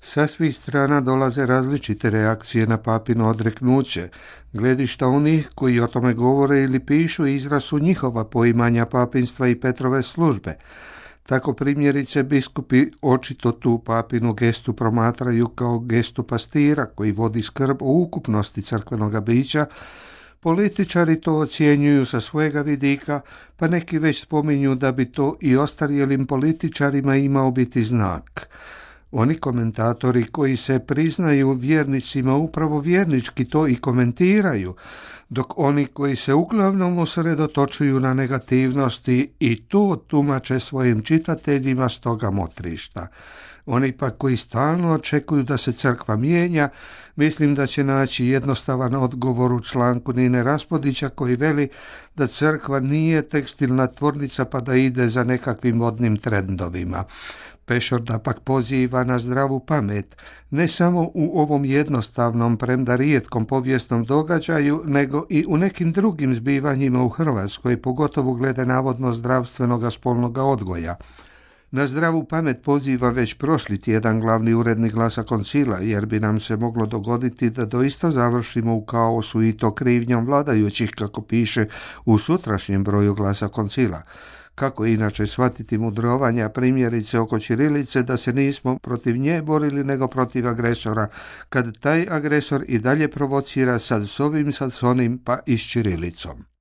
Sa svih strana dolaze različite reakcije na papino odreknuće. Gledišta onih koji o tome govore ili pišu izraz su njihova poimanja papinstva i Petrove službe. Tako primjerice biskupi očito tu papinu gestu promatraju kao gestu pastira koji vodi skrb o ukupnosti crkvenoga bića. Političari to ocjenjuju sa svojega vidika, pa neki već spominju da bi to i ostarjelim političarima imao biti znak. Oni komentatori koji se priznaju vjernicima upravo vjernički to i komentiraju, dok oni koji se uglavnom usredotočuju na negativnosti i to tumače svojim čitateljima s toga motrišta. Oni pa koji stalno očekuju da se crkva mijenja, mislim da će naći jednostavan odgovor u članku Nine Raspodića koji veli da crkva nije tekstilna tvornica pa da ide za nekakvim modnim trendovima. Pešor da pak poziva na zdravu pamet, ne samo u ovom jednostavnom, premda rijetkom povijesnom događaju, nego i u nekim drugim zbivanjima u Hrvatskoj, pogotovo glede navodno zdravstvenoga spolnoga odgoja. Na zdravu pamet poziva već prošli tjedan glavni urednik Glasa Koncila, jer bi nam se moglo dogoditi da doista završimo u kaosu i to krivnjom vladajućih, kako piše u sutrašnjem broju Glasa Koncila. Kako inače shvatiti mudrovanja primjerice oko ćirilice da se nismo protiv nje borili nego protiv agresora, kad taj agresor i dalje provocira sad s ovim, sad s onim, pa i s ćirilicom.